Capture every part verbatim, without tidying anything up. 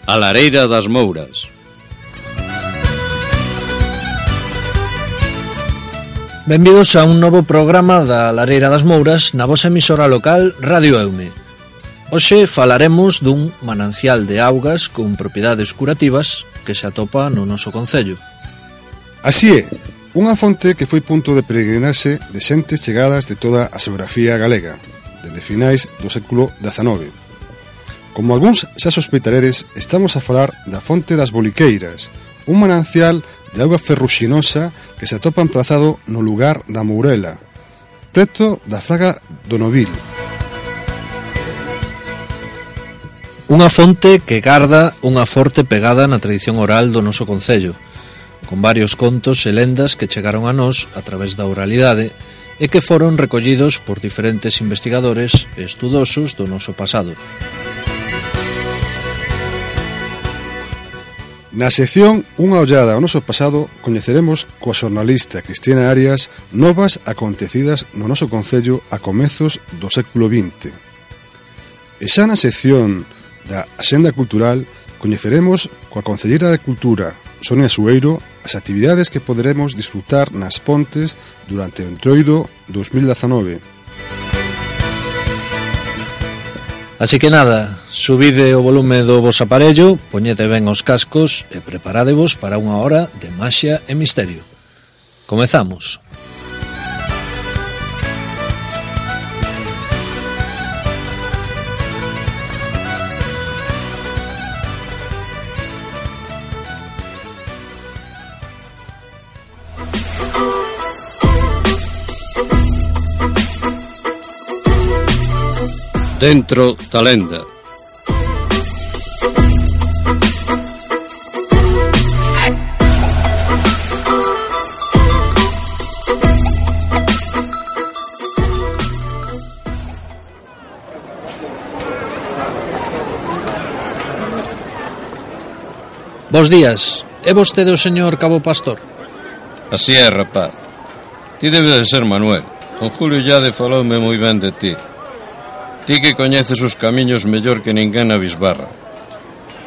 A Lareira das Mouras. Benvidos a un novo programa da Lareira das Mouras na vosa emisora local Radio Eume. Hoxe falaremos dun manancial de augas con propiedades curativas que se atopa no noso concello. Así é, unha fonte que foi punto de peregrinarse de xentes chegadas de toda a xeografía galega, desde finais do século dezanove. Como algúns xa sospeitaredes, estamos a falar da fonte das Boliqueiras, un manancial de auga ferruxinosa que se atopa emplazado no lugar da Mourela, preto da Fraga do Novil. Unha fonte que garda unha forte pegada na tradición oral do noso concello, con varios contos e lendas que chegaron a nós a través da oralidade e que foron recollidos por diferentes investigadores e estudosos do noso pasado. Na sección Unha ollada ao noso pasado coñeceremos coa xornalista Cristina Arias novas acontecidas no noso concello a comezos do século vinte. E xa na sección da Axenda Cultural coñeceremos coa Concelleira de Cultura, Sonia Sueiro, as actividades que poderemos disfrutar nas Pontes durante o Entroido dos mil dezanove. Así que nada, subide o volume do vos aparello, poñede ben os cascos e preparádevos para unha hora de maxia e misterio. Comezamos. Dentro da lenda. Bos días, é vostede o señor Cabo Pastor? Así é, rapaz. Ti debe de ser Manuel. Don Julio Llade faloume moi ben de ti. Ti que coñeces os camiños mellor que ninguén na bisbarra.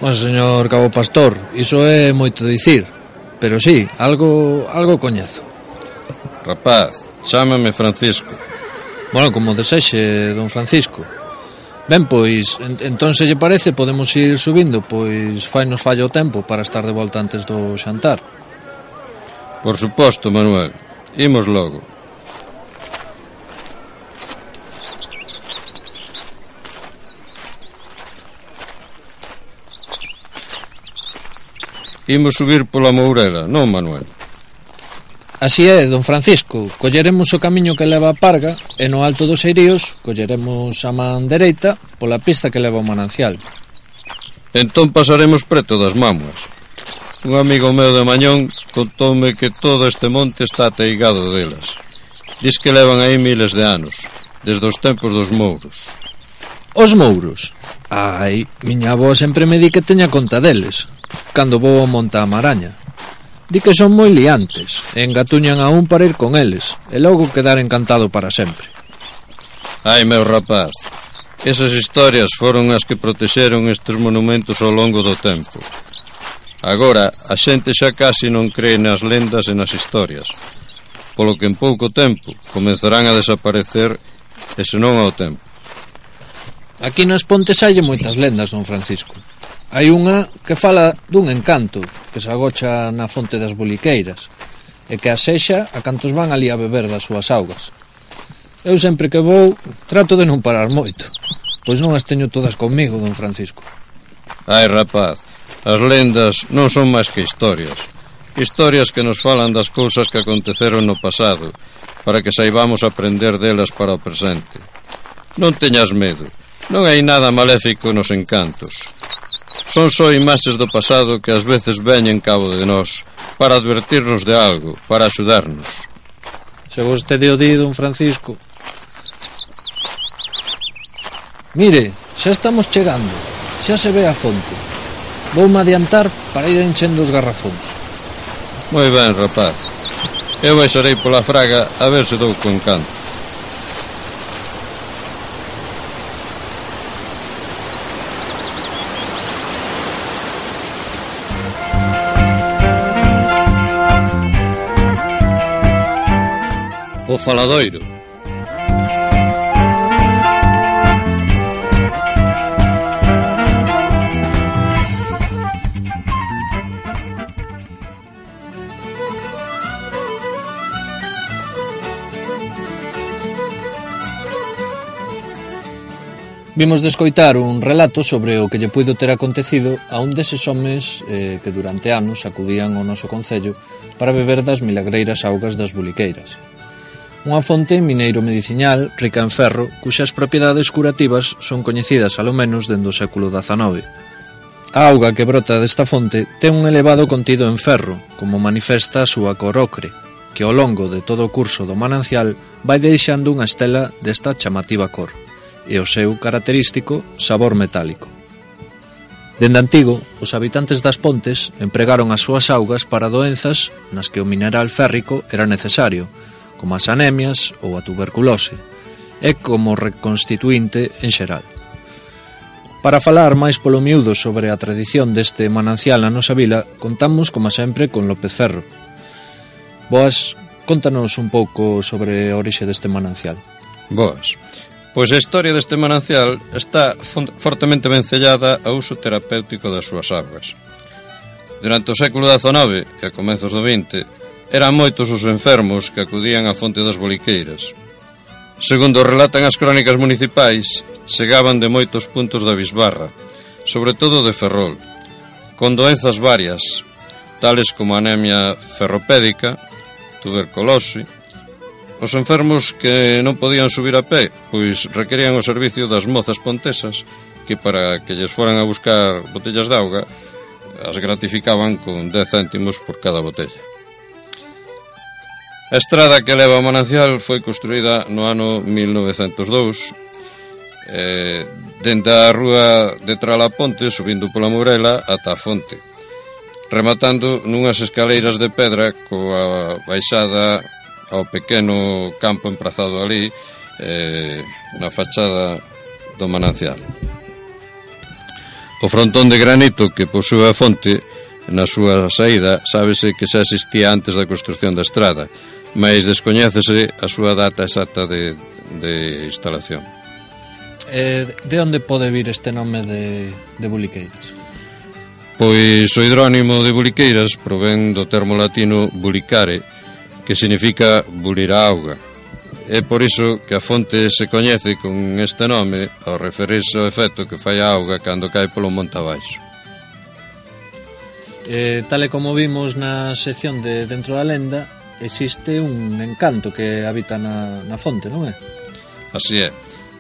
Bom, señor Cabo Pastor, iso é moito dicir, pero sí, algo algo coñezo. Rapaz, chámame Francisco. Bueno, como desexe, don Francisco. Ben, pois, en, entón se lle parece, podemos ir subindo, pois fai nos falla o tempo para estar de volta antes do xantar. Por suposto, Manuel. Imos logo. Imos subir pola Mourela, non, Manuel? Así é, don Francisco. Colleremos o camiño que leva a Parga e no alto dos Eiríos colleremos a man dereita pola pista que leva ao manancial. Entón pasaremos preto das Mámoas. Un amigo meu de Mañón contoume que todo este monte está ateigado delas. Diz que levan aí miles de anos, desde os tempos dos mouros. Os mouros? Ai, miña avó sempre me di que teña conta deles, cando vou ao Monte Amaraña. Di que son moi liantes, e engatuñan a un para ir con eles, e logo quedar encantado para sempre. Ai, meu rapaz, esas historias foron as que protexeron estes monumentos ao longo do tempo. Agora, a xente xa casi non cree nas lendas e nas historias, polo que en pouco tempo comezarán a desaparecer, e senón ao tempo. Aquí nas Pontes hai moitas lendas, don Francisco. Hai unha que fala dun encanto que se agocha na fonte das Boliqueiras e que asexa a cantos van ali a beber das súas augas. Eu sempre que vou trato de non parar moito, pois non as teño todas comigo, don Francisco. Ai, rapaz, as lendas non son máis que historias. Historias que nos falan das cousas que aconteceron no pasado, para que saibamos aprender delas para o presente. Non teñas medo. Non hai nada maléfico nos encantos. Son só imaxes do pasado que ás veces veñen cabo de nós para advertirnos de algo, para axudarnos. Se vostede o di, don Francisco. Mire, xa estamos chegando. Xa se ve a fonte. Voume adiantar para ir enchendo os garrafóns. Moi ben, rapaz. Eu baixarei pola fraga a ver se dou con canto. O Faladoiro. Vimos de escoitar un relato sobre o que lle puido ter acontecido a un deses homes eh, que durante anos acudían ao noso concello para beber das milagreiras augas das Buliqueiras. Unha fonte mineiro mediciñal rica en ferro, cuxas propiedades curativas son coñecidas alo menos dende o século dezanove. A auga que brota desta fonte ten un elevado contido en ferro, como manifesta a súa cor ocre, que ao longo de todo o curso do manancial vai deixando unha estela desta chamativa cor e o seu característico sabor metálico. Dende antigo, os habitantes das pontes empregaron as súas augas para doenzas nas que o mineral férrico era necesario, como as anemias ou a tuberculose, e como reconstituinte en xeral. Para falar máis polo miúdo sobre a tradición deste manancial na nosa vila, contamos, como sempre, con López Ferro. Boas, contanos un pouco sobre a orixe deste manancial. Boas. Pois a historia deste manancial está fortemente vencellada ao uso terapéutico das súas augas. Durante o século dezanove e a comezos do vinte, eran moitos os enfermos que acudían á fonte das Boliqueiras. Segundo relatan as crónicas municipais, chegaban de moitos puntos da bisbarra, sobre todo de Ferrol, con doenzas varias, tales como anemia ferropédica, tuberculose. Os enfermos que non podían subir a pé, pois requerían o servicio das mozas pontesas, que para que lles foran a buscar botellas de auga, as gratificaban con dez céntimos por cada botella. A estrada que leva ao manancial foi construída no ano mil novecentos e dous, eh, dende a rúa de Tralaponte, subindo pola Mourela ata a fonte, rematando nunhas escaleiras de pedra coa baixada ao pequeno campo emprazado ali eh, na fachada do manancial. O frontón de granito que posúe a fonte na súa saída sábese que xa existía antes da construción da estrada, mas descoñécese a súa data exacta de, de instalación. Eh, de onde pode vir este nome de, de Buliqueiras? Pois o hidrónimo de Buliqueiras provén do termo latino bulicare, que significa bulir a auga. É por iso que a fonte se coñece con este nome ao referirse ao efecto que fai a auga cando cae polo monte abaixo. Eh, tal e como vimos na sección de Dentro da Lenda, existe un encanto que habita na, na fonte, non é? Así é.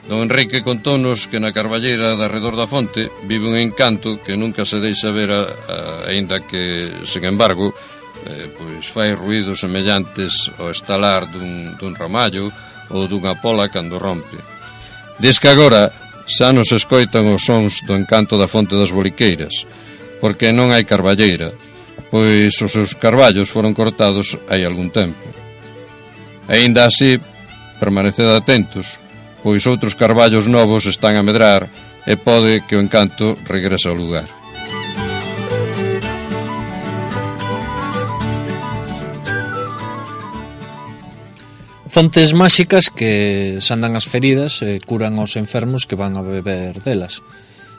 Don Enrique contónos que na carballeira de arredor da fonte vive un encanto que nunca se deixa ver a, a, aínda que, sen embargo, Eh, pois fai ruídos semellantes ao estalar dun, dun ramallo ou dunha pola cando rompe. Diz que agora xa nos escoitan os sons do encanto da fonte das Boliqueiras, porque non hai carballeira, pois os seus carballos foron cortados hai algún tempo. Aínda así, permaneced atentos, pois outros carballos novos están a medrar e pode que o encanto regrese ao lugar. Fontes máxicas que sandan as feridas e curan aos enfermos que van a beber delas.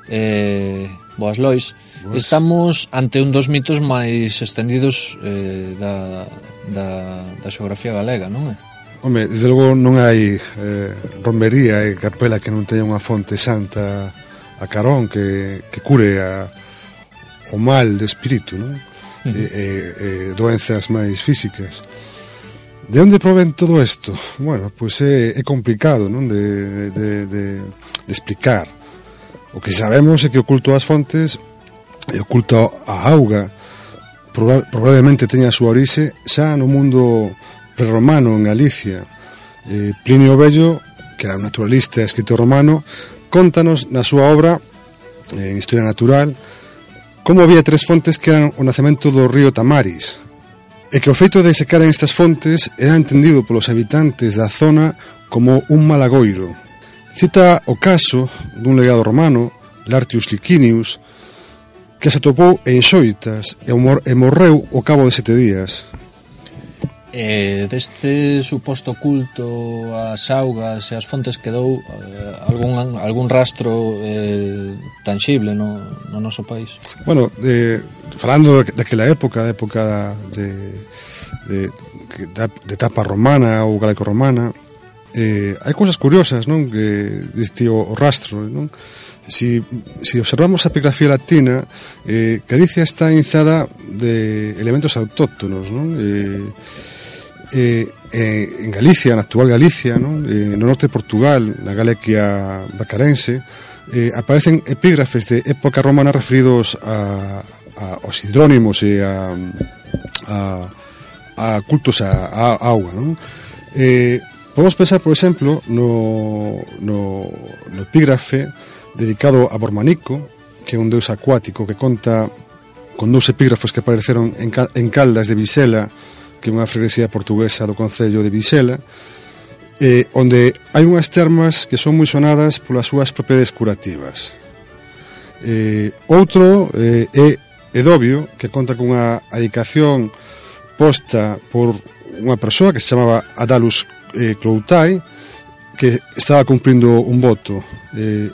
Eh, boas lois, boas. Estamos ante un dos mitos máis extendidos eh, da, da, da xeografía galega, non é? Home, desde logo non hai eh, romería e capela que non teña unha fonte santa a carón que, que cure a, o mal de espírito, non? Uh-huh. E, e, e doenzas máis físicas. De onde provén todo isto? Bueno, pois é, é complicado, non? De, de, de, de explicar. O que sabemos é que o culto ás fontes e o culto á auga proba, probablemente teña a súa orixe xa no mundo prerromano en Galicia. Eh, Plinio o Vello, que era un naturalista e escritor romano, contanos na súa obra en Historia Natural como había tres fontes que eran o nacemento do río Tamaris, e que o feito de secaren estas fontes era entendido polos habitantes da zona como un malagoiro. Cita o caso dun legado romano, Lartius Licinius, que se atopou en Xoitas e morreu ao cabo de sete días. E deste suposto culto ás augas e ás fontes quedou eh, algún, algún rastro eh, tangible no, no noso país? Bueno, eh, falando daquela época, a época de, de, de, de etapa romana ou galaico-romana, eh, hai cousas curiosas, non? Que diste o, o rastro, non? Si, si observamos a epigrafía latina, eh, Galicia está inzada de elementos autóctonos, non? Eh, Eh, eh, en Galicia, na actual Galicia, non? Eh, no norte de Portugal, na Galicia bacarense, eh, aparecen epígrafes de época romana referidos a, a aos hidrónimos e a, a, a cultos a, a, a auga, non? Eh, podemos pensar, por exemplo, no, no, no epígrafe dedicado a Bormanico, que é un deus acuático que conta con dous epígrafos que apareceron en, en Caldas de Visela, que é unha freguesía portuguesa do concello de Visela, eh, onde hai unhas termas que son moi sonadas polas súas propiedades curativas. Eh, outro eh, é Edobio, que conta con unha adicación posta por unha persoa que se chamaba Adalus eh, Cloutai, que estaba cumprindo un voto. Eh,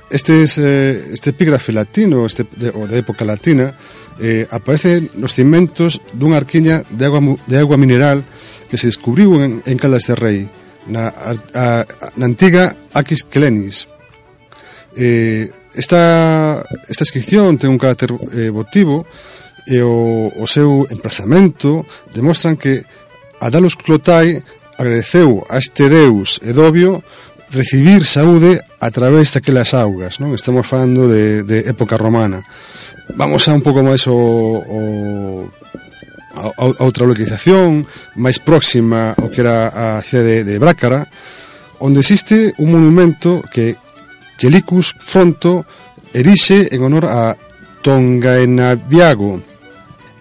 este, es, eh, este epígrafe latino, este, de, ou de época latina, Eh, aparece nos cimentos dunha arquiña de agua, de agua mineral que se descubriu en, en Caldas de Rei, na, a, a, na antiga Aquis Clenis. Eh, esta, esta inscripción ten un carácter eh, votivo e o, o seu emprazamento demostran que Adalus Cloutai agradeceu a este deus Edobio recibir saúde a través daquelas augas, non? Estamos falando de, de época romana. Vamos a un pouco máis o, o a, a outra localización máis próxima ao que era a cidade de, de Brácara, onde existe un monumento que que Licus Fronto erixe en honor a Tongaenaviago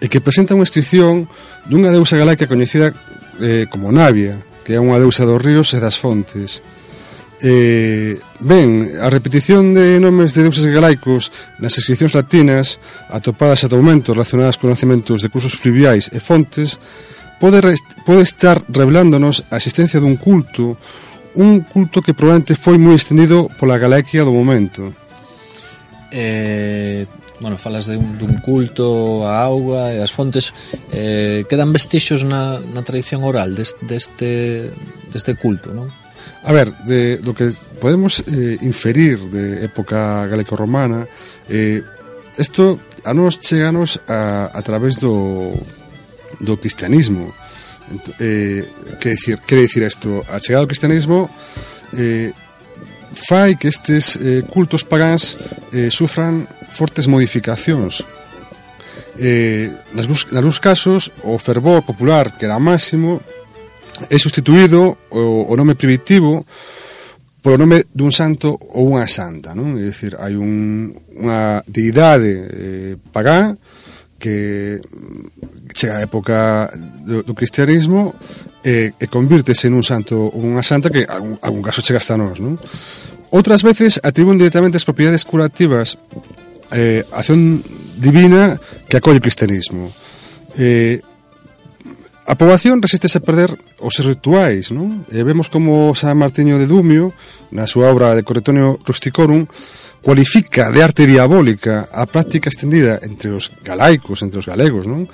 e que presenta unha inscripción dunha deusa galaica coñecida eh, como Navia, que é unha deusa dos ríos e das fontes. Eh, ben, a repetición de nomes de deuses galaicos nas inscripcións latinas atopadas ata o momento relacionadas con conhecimentos de cursos fluviais e fontes pode, rest, pode estar revelándonos a existencia dun culto, un culto que probablemente foi moi extendido pola Galaquia do momento. Eh, bueno, falas de un, dun culto a auga e as fontes, eh, quedan vestixios na, na tradición oral deste, deste, deste culto, non? A ver, de, do que podemos eh, inferir de época galaico-romana, eh, isto a nos cheganos a, a través do, do cristianismo. Eh, que decir, quere dicir isto? A chegada do cristianismo eh, fai que estes eh, cultos pagáns eh, sufran fortes modificacións. Eh, nas, nas casos, o fervor popular, que era máximo, é sustituído o, o nome primitivo polo nome dun santo ou unha santa, non? É dicir, hai un, unha deidade eh, pagá que chega a época do, do cristianismo e, e convírtese nun santo ou unha santa que algún, algún caso chega hasta nós, non? Outras veces atribuen directamente as propiedades curativas eh, a acción divina que acolle o cristianismo. Eh, A poboación resistese a perder os rituais, non? E vemos como San Martiño de Dumio, na súa obra de Corretonio Rusticorum, cualifica de arte diabólica a práctica extendida entre os galaicos, entre os galegos, non?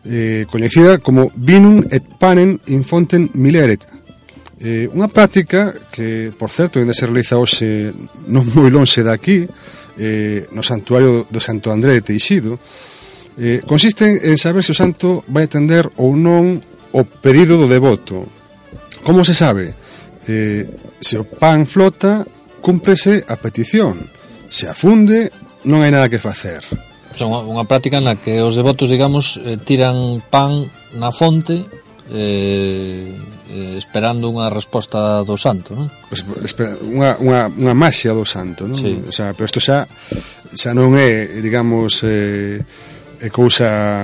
Eh, coñecida como vinum et panem in fontem mileret. Eh, unha práctica que, por certo, ainda se realiza hoxe non moi lonxe daqui, eh, no santuario do Santo André de Teixido. Eh, consiste en saber se o santo vai atender ou non o pedido do devoto. Como se sabe? Eh, se o pan flota, cúmprese a petición. Se afunde, non hai nada que facer. O sea, unha, unha práctica na que os devotos, digamos, eh, tiran pan na fonte eh, eh, esperando unha resposta do santo, non? Unha, unha, unha maxia do santo, non? Sí. O sea, pero isto xa, xa non é, digamos... Eh, é cousa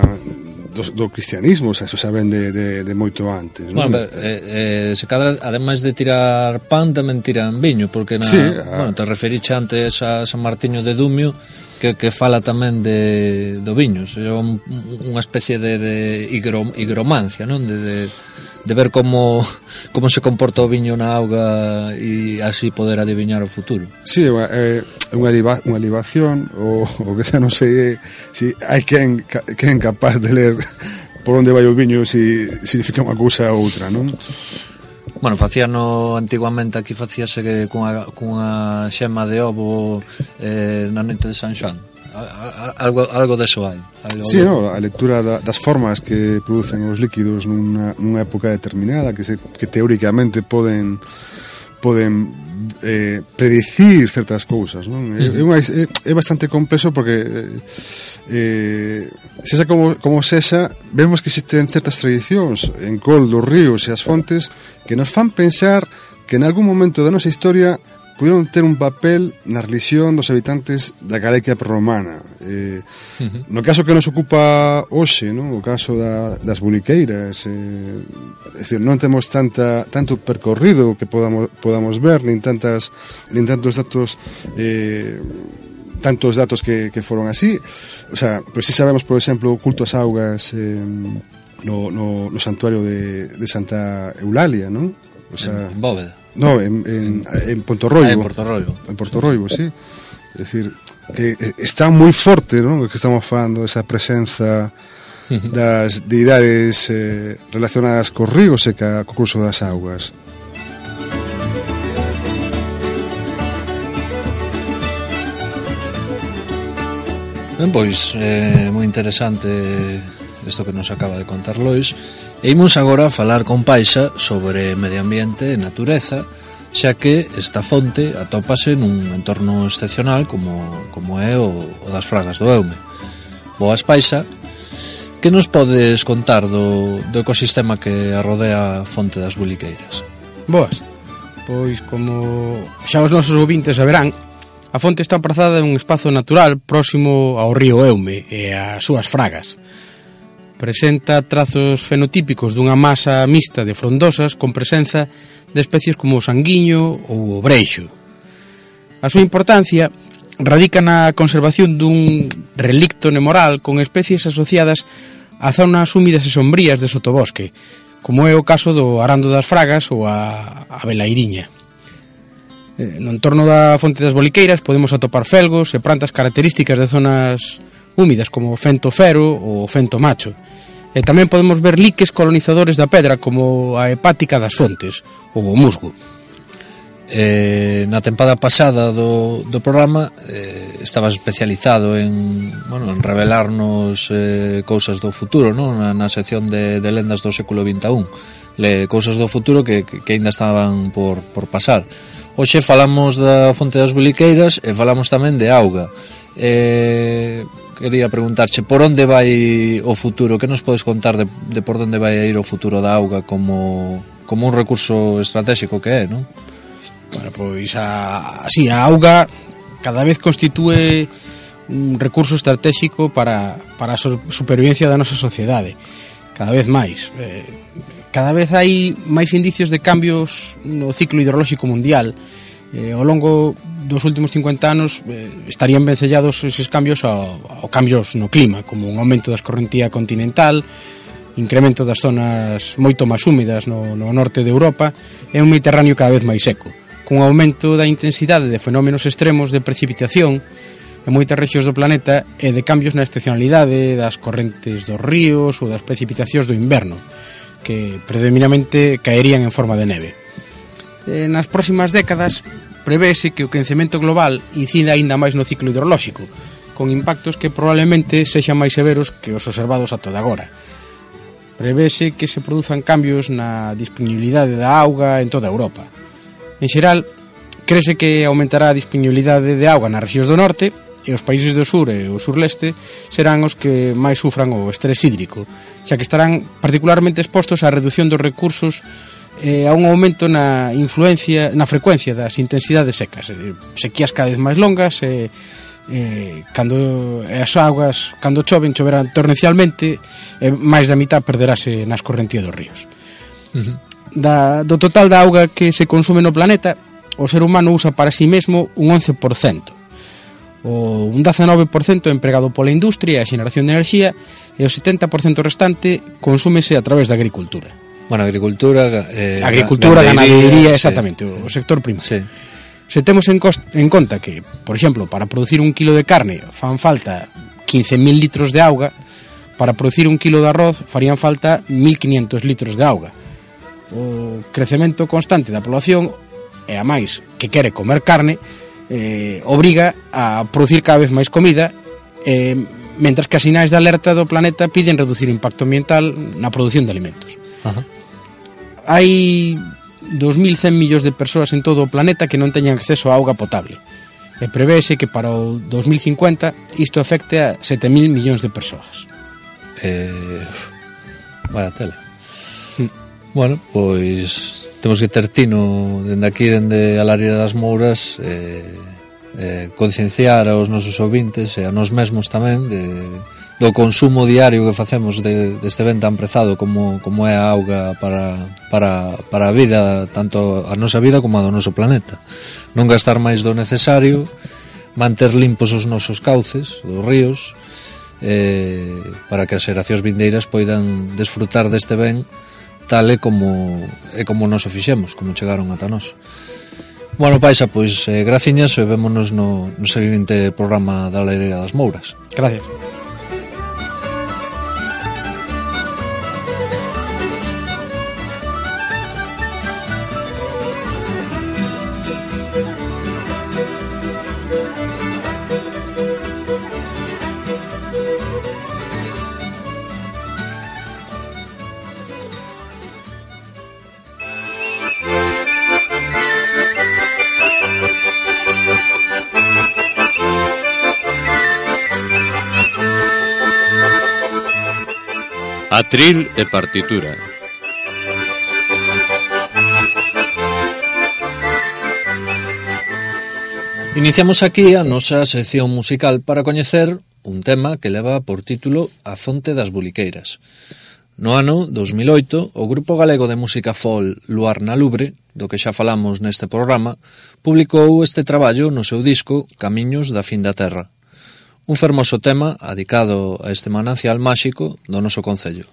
do, do cristianismo, xa, xa ven de, de, de moito antes, non? Bueno, eh, eh, se cadra, ademais de tirar pan, tamén tiran viño, porque na, sí, a... bueno, te referiche antes a San Martiño de Dumio, que, que fala tamén de, do viño, é un, unha especie de, de higro, higromancia, non? De, de, de ver como como se comporta o viño na auga e así poder adiviñar o futuro. Sí, é unha, liba, unha libación o, o que xa non sei se si hai quen, quen capaz de ler por onde vai o viño, se si significa unha cousa ou outra, non? Bueno, facíano antiguamente, aquí facíase que cunha, cunha xema de ovo eh, na noite de San Xoán. Algo, algo deso hai. Algo sí, no, a lectura da, das formas que producen os líquidos nunha, nunha época determinada que, se, que teóricamente poden poden eh, predicir certas cousas, non? Uh-huh. É, é, é bastante complexo porque eh, sexa como, como sexa, vemos que existen certas tradicións en col dos ríos e as fontes que nos fan pensar que en algún momento da nosa historia puderon ter un papel na religión dos habitantes da Galicia prerromana. Eh, uh-huh. No caso que nos ocupa hoxe, non? O caso da, das buliqueiras, eh, é dicir, non temos tanta tanto percorrido que podamos podamos ver, nin tantas nin tantos datos eh, tantos datos que, que foron así. O sea, pues si sabemos, por exemplo, o culto ás augas eh, no, no, no santuario de, de Santa Eulalia, non? O sea, en Bóveda. No, en, en, en Pontorroibo. Ah, en Pontorroibo. En Pontorroibo, sí. É dicir, que está moi forte, non? Que estamos falando esa presenza das deidades eh, relacionadas cos ríos e ca, co curso das augas. Ben, pois, é eh, moi interesante isto que nos acaba de contar Lois. E imos agora a falar con Paixa sobre medio ambiente e natureza, xa que esta fonte atópase nun entorno excepcional como, como é o, o das Fragas do Eume. Boas, Paixa, que nos podes contar do, do ecosistema que arrodea a fonte das Buliqueiras? Boas, pois como xa os nosos ouvintes saberán, a fonte está aprazada en un espazo natural próximo ao río Eume e ás súas fragas. Presenta trazos fenotípicos dunha masa mixta de frondosas con presenza de especies como o sanguiño ou o breixo. A súa importancia radica na conservación dun relicto nemoral con especies asociadas a zonas húmidas e sombrías de sotobosque, como é o caso do arando das Fragas ou a, a velairiña. No entorno da fonte das Boliqueiras podemos atopar felgos e plantas características de zonas húmidas como o fento fero ou o fento macho. E tamén podemos ver liques colonizadores da pedra como a hepática das fontes ou o musgo. Eh, na tempada pasada do, do programa eh, estabas especializado en, bueno, en revelarnos eh, cousas do futuro, non? Na, na sección de, de lendas do século vinte e un, Le, cousas do futuro que, que, que ainda estaban por, por pasar. Hoxe falamos da fonte das Buliqueiras e falamos tamén de auga. Eh, quería preguntarche por onde vai o futuro, que nos podes contar de, de por onde vai ir o futuro da auga como, como un recurso estratégico que é, non? Bueno, pois a, así, a auga cada vez constitúe un recurso estratégico para, para a supervivencia da nosa sociedade, cada vez máis. Eh, cada vez hai máis indicios de cambios no ciclo hidrolóxico mundial. Eh, ao longo dos últimos cincuenta anos eh, estarían vencellados eses cambios ao, ao cambios no clima, como un aumento da escorrentía continental, incremento das zonas moito máis húmidas no, no norte de Europa e un Mediterráneo cada vez máis seco, cun aumento da intensidade de fenómenos extremos de precipitación en moitas rexións do planeta e de cambios na estacionalidade das correntes dos ríos ou das precipitacións do inverno, que predominantemente caerían en forma de neve. Eh, nas próximas décadas prevese que o quencemento global incida aínda máis no ciclo hidrolóxico, con impactos que probablemente sexan máis severos que os observados ata agora. Prevese que se produzan cambios na disponibilidade da auga en toda Europa. En xeral, crese que aumentará a disponibilidade de auga nas rexións do norte e os países do sur e o surleste serán os que máis sufran o estrés hídrico, xa que estarán particularmente expostos á reducción dos recursos e a un aumento na influencia, na frecuencia das intensidades secas, sequías cada vez máis longas e, e cando as augas, cando choven, choverán torrencialmente e máis da mitad perderase na escorrentía dos ríos. Uh-huh. Da, do total da auga que se consume no planeta, o ser humano usa para si mesmo un once por cento. O un dezanove por cento é empregado pola industria e a xeneración de enerxía, e o setenta por cento restante consúmese a través da agricultura. Bueno, agricultura... Eh, agricultura, ganadería, exactamente, sí. O sector primario. Sí. Se temos en, cost, en conta que, por exemplo, para producir un kilo de carne fan falta quince mil litros de auga, para producir un kilo de arroz farían falta mil quinientos litros de auga. O crecemento constante da población, e a máis que quere comer carne, eh, obriga a producir cada vez máis comida, eh, mentras que as sinais de alerta do planeta piden reducir o impacto ambiental na produción de alimentos. Ajá. Hai dos mil cen millóns de persoas en todo o planeta que non teñan acceso a auga potable, e prevese que para o dos mil cincuenta isto afecte a sete mil millóns de persoas. Eh, vaya tela. Mm. Bueno, pois temos que ter tino dende aquí, dende a Lareira das Mouras, eh, eh, concienciar aos nosos ouvintes e a nós mesmos tamén de, do consumo diario que facemos de, deste ben tan prezado como, como é a auga para, para, para a vida, tanto a nosa vida como a do noso planeta. Non gastar máis do necesario, manter limpos os nosos cauces, dos ríos, eh, para que as xeracións vindeiras poidan desfrutar deste ben tal e como, e como nos o fixemos, como chegaron ata nós. Bueno, Paixa, pois eh, graciñas e vémonos no, no seguinte programa da Lareira das Mouras. Gracias. Atril e partitura. Iniciamos aquí a nosa sección musical para coñecer un tema que leva por título A Fonte das Buliqueiras. No ano dos mil oito, o grupo galego de música folk Luar na Lubre, do que xa falamos neste programa, publicou este traballo no seu disco Camiños da Fin da Terra. Un fermoso tema adicado a este manancial máxico do noso concello.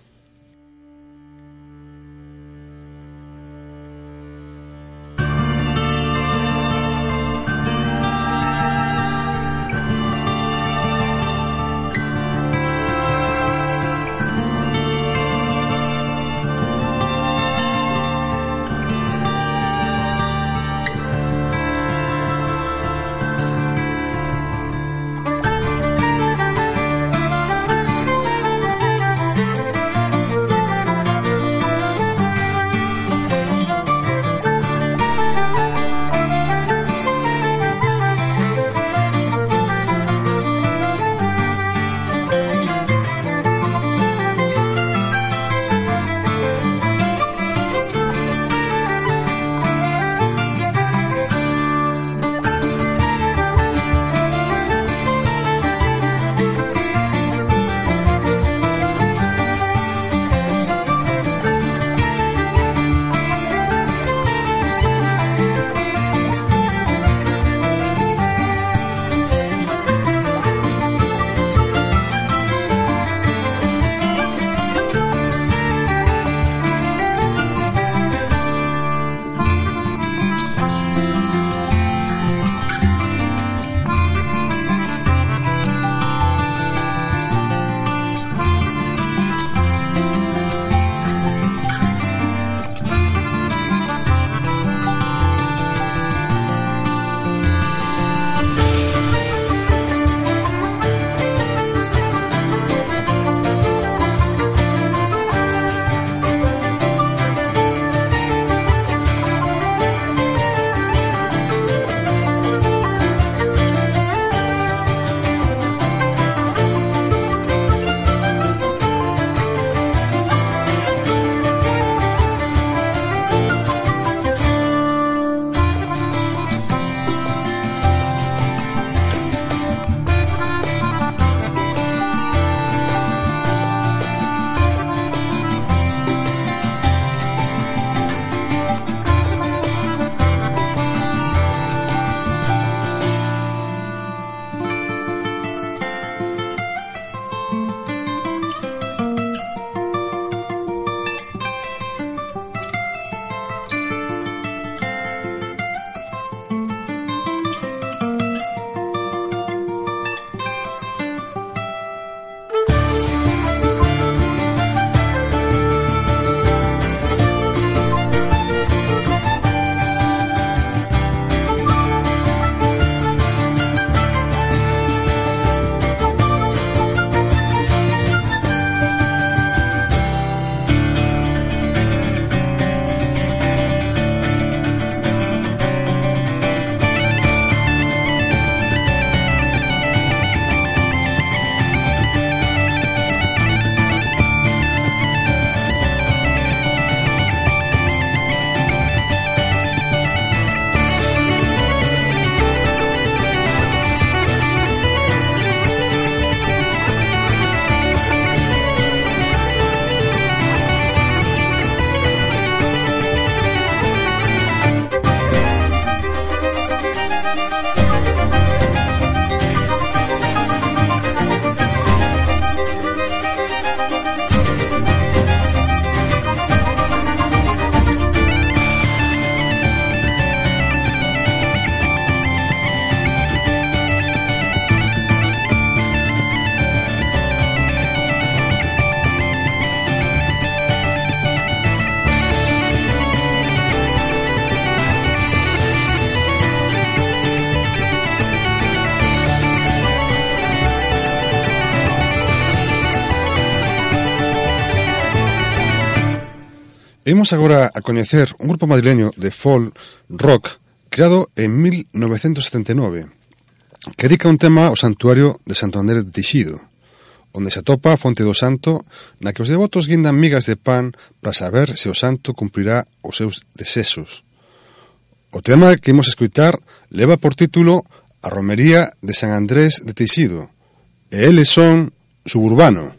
Imos agora a coñecer un grupo madrileño de folk rock creado en mil novecentos setenta e nove que dedica un tema ao santuario de Santo Andrés de Tixido, onde se atopa a fonte do santo na que os devotos guindan migas de pan para saber se o santo cumprirá os seus desexos. O tema que imos escutar leva por título A Romería de San Andrés de Tixido e eles son Suburbano.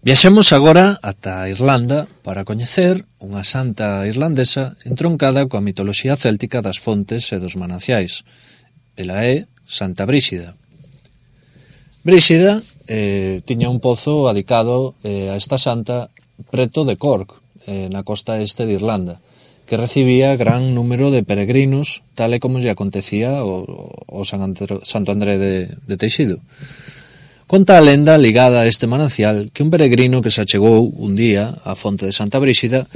Viaxemos agora ata Irlanda para coñecer unha santa irlandesa entroncada coa mitoloxía céltica das fontes e dos mananciais. Ela é Santa Bríxida. Bríxida eh, tiña un pozo adicado eh, a esta santa preto de Cork, eh, na costa este de Irlanda, que recibía gran número de peregrinos, tal e como lle acontecía o, o San André, Santo André de, de Teixido. Conta a lenda ligada a este manancial que un peregrino que se achegou un día á fonte de Santa Bríxida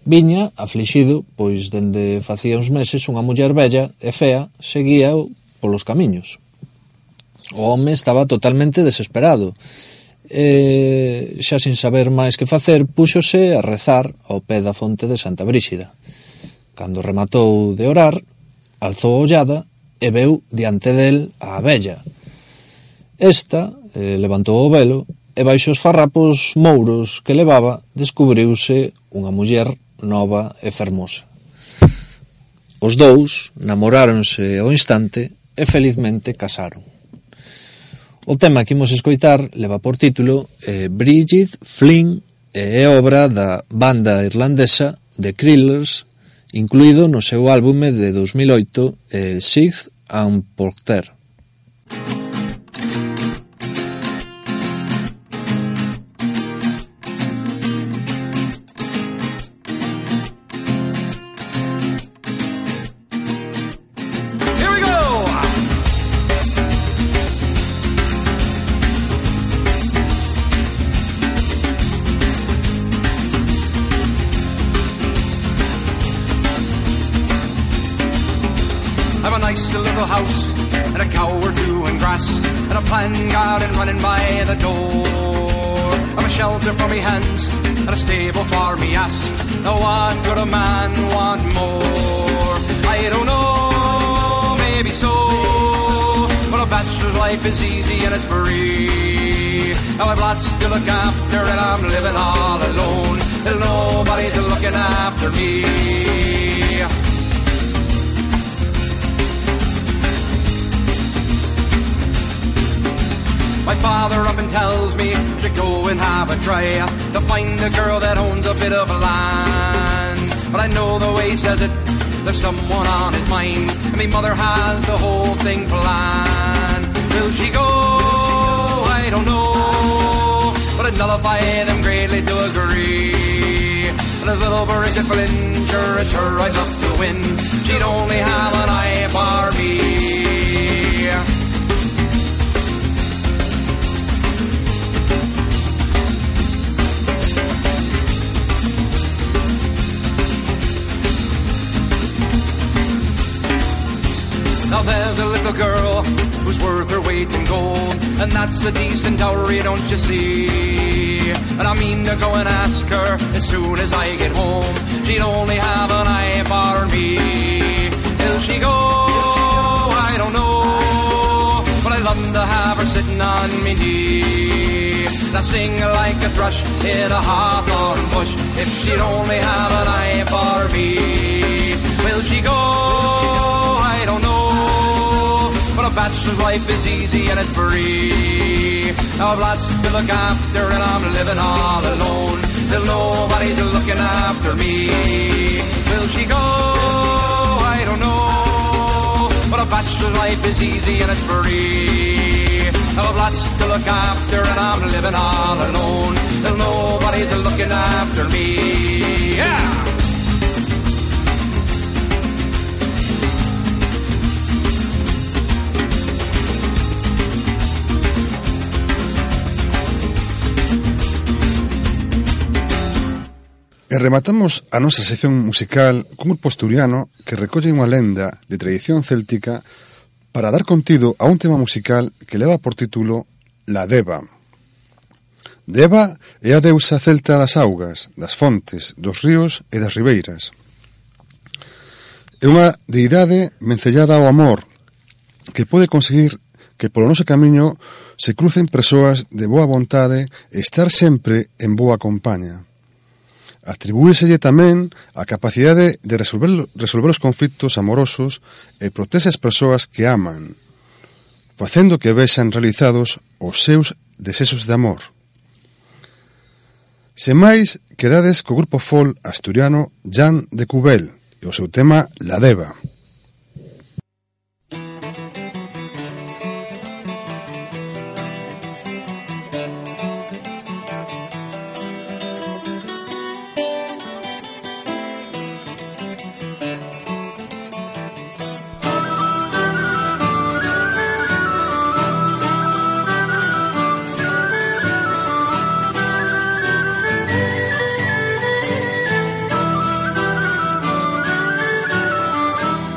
viña aflixido, pois dende facía uns meses unha muller bella e fea seguía polos camiños. O home estaba totalmente desesperado e, xa sin saber máis que facer, púxose a rezar ao pé da fonte de Santa Bríxida. Cando rematou de orar, alzou a ollada e veu diante del a vella. Esta eh, levantou o velo e baixo os farrapos mouros que levaba descubriuse unha muller nova e fermosa. Os dous namoráronse ao instante e felizmente casaron. O tema que imos escoitar leva por título eh, Bridget Flynn e é obra da banda irlandesa The Krillers, incluído no seu álbume de dos mil oito eh, Sixth and Porter. Garden running by the door. I've a shelter for me hands and a stable for me ass. Now what could a man want more? I don't know, maybe so, but a bachelor's life is easy and it's free. Now I've lots to look after and I'm living all alone, till nobody's looking after me. My father often tells me to go and have a try to find a girl that owns a bit of land. But I know the way he says it, there's someone on his mind, and my mother has the whole thing planned. Will she go? I don't know, but I'd nullify them greatly to agree. And this little Bridget Flynn, sure it's her I'd love to win. She'd only have an eye for me. Now there's a little girl who's worth her weight in gold, and that's a decent dowry, don't you see? And I mean to go and ask her as soon as I get home. She'd only have an eye for me. Will she go? I don't know, but I'd love to have her sitting on me knee. Now sing like a thrush in a hawthorn bush, if she'd only have an eye for me. Will she go? I don't know, but a bachelor's life is easy and it's free. Now I've lots to look after and I'm living all alone, till nobody's looking after me. Will she go? I don't know, but a bachelor's life is easy and it's free. Now I've lots to look after and I'm living all alone, till nobody's looking after me. Yeah! E rematamos a nosa sección musical cun grupo asturiano que recolle unha lenda de tradición céltica para dar contido a un tema musical que leva por título La Deva. Deva é a deusa celta das augas, das fontes, dos ríos e das ribeiras. É unha deidade vencellada ao amor que pode conseguir que polo noso camiño se crucen persoas de boa vontade e estar sempre en boa compaña. Atribúeselle tamén a capacidade de resolver, resolver os conflitos amorosos e protege as persoas que aman, facendo que vexan realizados os seus desexos de amor. Sen máis, quedades co grupo folk asturiano Jan de Cubel e o seu tema La Deva.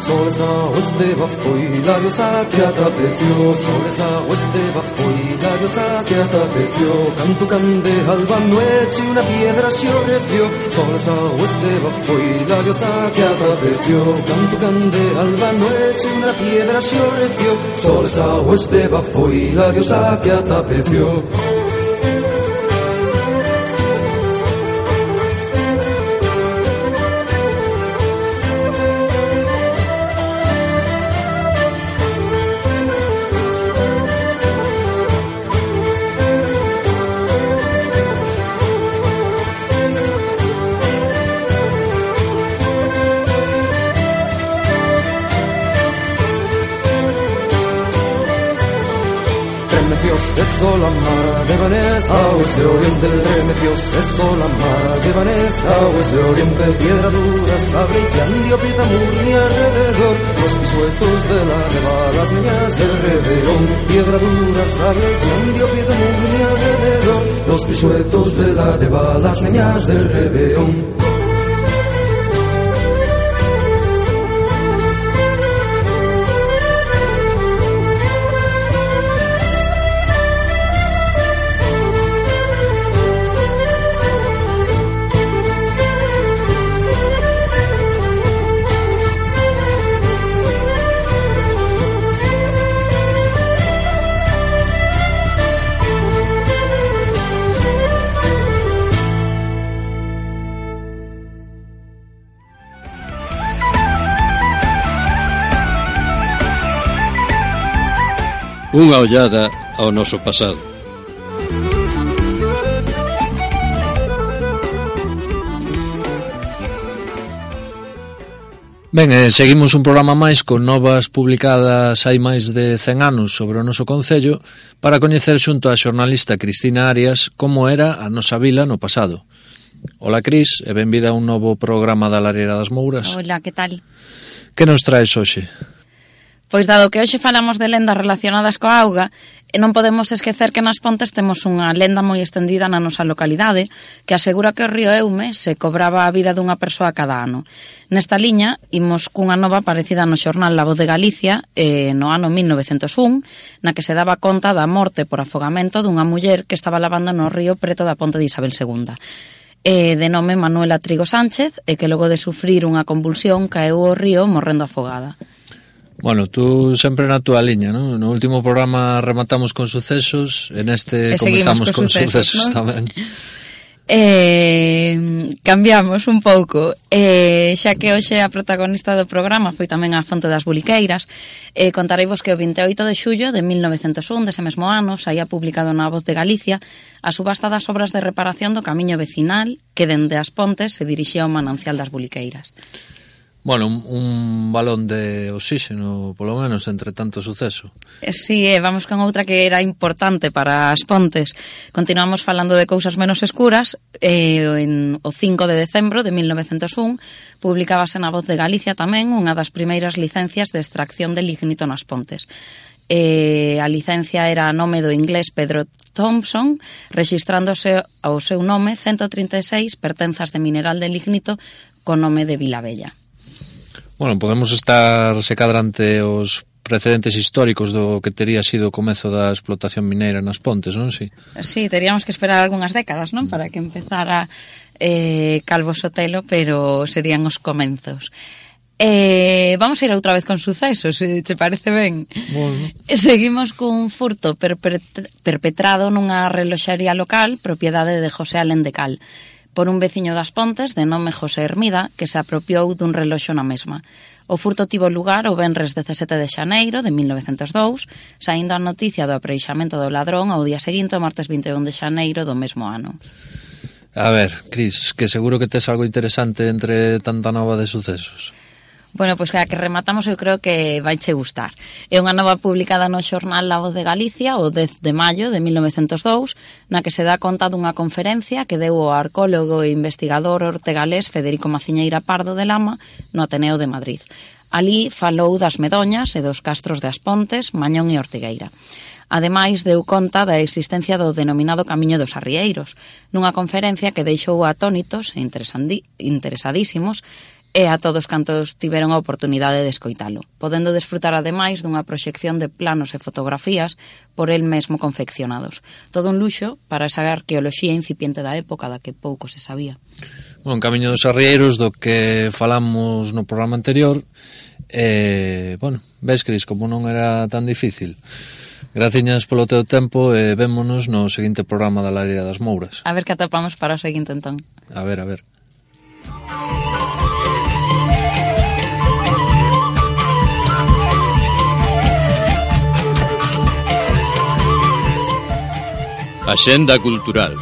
Sobre esa huesteva foi la diosa que atapeció, sobre esa huesteva foi la diosa que atapeció, canto cande alba noche una piedra se ofreció, sobre esa huesteva foi la diosa que atapeció, canto cande alba noche una piedra se ofreció, sobre esa huesteva foi la diosa que atapeció. Eso la mar de Vanessa, aguas de oriente, remedios, eso la mar de Vanessa, aguas de oriente, piedra dura, sable y candio, pita murni alrededor, los pisuetos de la neva, las niñas del Reverón, piedra dura, sable y candio, pita murni alrededor, los pisuetos de la neva, las niñas del Reverón. Unha ollada ao noso pasado. Ben, eh, seguimos un programa máis con novas publicadas hai máis de cen anos sobre o noso concello para coñecer xunto a xornalista Cristina Arias como era a nosa vila no pasado. Ola, Cris, e benvida a un novo programa da Lareira das Mouras. Hola, que tal? Que nos traes hoxe? Pois dado que hoxe falamos de lendas relacionadas coa auga, non podemos esquecer que nas Pontes temos unha lenda moi estendida na nosa localidade que asegura que o río Eume se cobraba a vida dunha persoa cada ano. Nesta liña, imos cunha nova aparecida no xornal La Voz de Galicia eh, no ano mil novecentos un, na que se daba conta da morte por afogamento dunha muller que estaba lavando no río preto da ponte de Isabel segunda. Eh, de nome Manuela Trigo Sánchez e que logo de sufrir unha convulsión caeu ao río morrendo afogada. Bueno, tú sempre na túa liña, ¿no? No último programa rematamos con sucesos, en este comenzamos con sucesos, sucesos ¿no? tamén. Eh, cambiamos un pouco, eh, xa que hoxe a protagonista do programa foi tamén a Fonte das Buliqueiras. eh, Contareivos que o vinte e oito de xullo de mil novecentos un, dese mesmo ano, saía publicado na Voz de Galicia a subasta das obras de reparación do camiño vecinal que dende as Pontes se dirixía ao manancial das Buliqueiras. Bueno, un, un balón de oxígeno, polo menos, entre tanto suceso. Sí, eh, vamos con outra que era importante para as Pontes. Continuamos falando de cousas menos escuras. eh, en o cinco de decembro de mil novecentos un publicábase na Voz de Galicia tamén unha das primeiras licencias de extracción de lignito nas Pontes. Eh, a licencia era a nome do inglés Pedro Thompson, rexistrándose ao seu nome ciento trinta e seis pertenzas de mineral de lignito co nome de Vilabella. Bueno, podemos estar se cadrante os precedentes históricos do que tería sido o comezo da explotación mineira nas Pontes, non? Sí, sí, teríamos que esperar algunhas décadas, non? Para que empezara eh, Calvo Sotelo, pero serían os comenzos. Eh, vamos a ir outra vez con sucesos, se te parece ben. Bueno. Seguimos cun furto perpetrado nunha reloxaría local, propiedade de José Alén de Cal, por un veciño das Pontes de nome José Hermida, que se apropiou dun reloxo na mesma. O furto tivo lugar o venres dezasete de xaneiro de mil novecentos dous, saindo a noticia do apreixamento do ladrón ao día seguinte, o martes vinte e un de xaneiro do mesmo ano. A ver, Cris, que seguro que tes algo interesante entre tanta nova de sucesos. Bueno, pois pues, que rematamos eu creo que vai che gustar. É unha nova publicada no xornal La Voz de Galicia o dez de maio de mil novecentos e dous, na que se dá conta dunha conferencia que deu o arqueólogo e investigador ortegalés Federico Maciñeira Pardo de Lama no Ateneo de Madrid. Alí falou das Medoñas e dos castros de As Pontes, Mañón e Ortigueira. Ademais, deu conta da existencia do denominado Camiño dos Arrieiros, nunha conferencia que deixou atónitos e interesadísimos e a todos cantos tiveron a oportunidade de escoitalo, podendo desfrutar ademais dunha proxección de planos e fotografías por el mesmo confeccionados. Todo un luxo para esa arqueoloxía incipiente da época da que pouco se sabía. Bon, Camiño dos Arrieiros, do que falamos no programa anterior, e, bueno, ves, Cris, como non era tan difícil. Graciñas polo teu tempo e vémonos no seguinte programa da Lareira das Mouras. A ver que atopamos para o seguinte entón. A ver, a ver. Axenda cultural.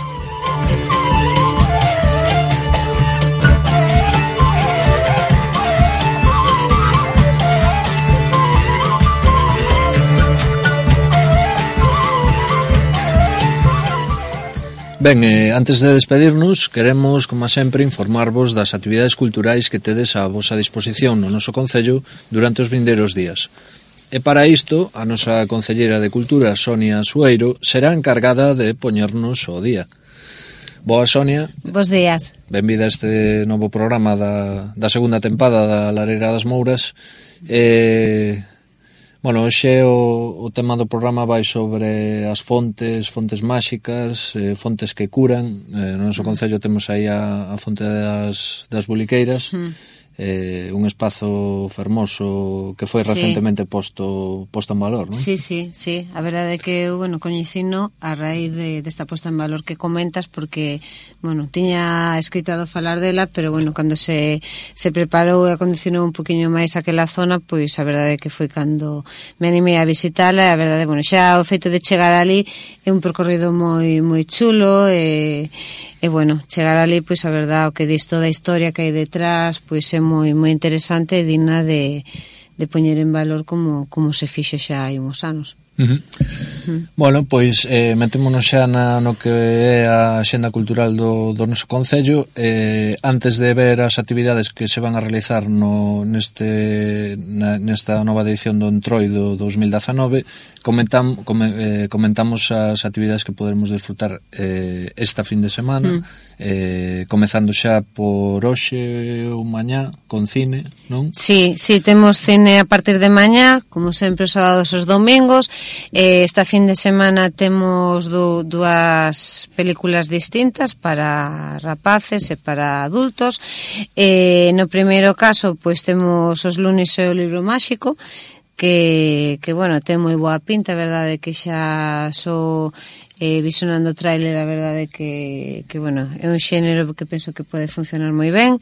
Ben, eh, antes de despedirnos, queremos, como sempre, informarvos das actividades culturais que tedes á vosa disposición no noso concello durante os vindeiros días. E para isto, a nosa concelleira de Cultura, Sonia Sueiro, será encargada de poñernos ao día. Boa, Sonia. Bos días. Benvida a este novo programa da, da segunda tempada da Lareira das Mouras. E... Bueno, hoxe o, o tema do programa vai sobre as fontes, fontes máxicas, eh, fontes que curan. Eh, no noso concello temos aí a, a fonte das, das Buliqueiras, mm. eh, un espazo fermoso que foi recentemente sí. posto posto en valor, non? Sí, sí, sí. A verdade é que eu, bueno, coñecino a raíz de, desta posta en valor que comentas, porque, bueno, tiña escoitado falar dela, pero, bueno, cando se, se preparou e acondicionou un poquinho máis aquela zona, pois a verdade é que foi cando me animei a visitala, e a verdade, bueno, xa o feito de chegar ali é un percorrido moi moi chulo e, e bueno, chegar ali, pois a verdade, o que dis toda a historia que hai detrás, pois é moi moi interesante e digna de, de poñer en valor como, como se fixo xa hai uns anos. Uh-huh. Uh-huh. Bueno, pois eh, metémonos xa na, no que é a axenda cultural do, do noso concello. Eh, antes de ver as actividades que se van a realizar no, neste, na, nesta nova edición do Entroido dos mil dezanove, comentam, come, eh, comentamos as actividades que poderemos disfrutar eh, esta fin de semana, uh-huh. eh, comezando xa por hoxe ou mañá con cine, non? Sí, sí, temos cine a partir de mañá, como sempre os sábados e os domingos. Eh, esta fin de semana temos do, dúas películas distintas para rapaces e para adultos. Eh, no primeiro caso, pois temos Os lunes e o libro máxico, que, que bueno, ten moi boa pinta, a verdade que xa so eh, visionando o tráiler, a verdade que, que bueno, é un xénero que penso que pode funcionar moi ben.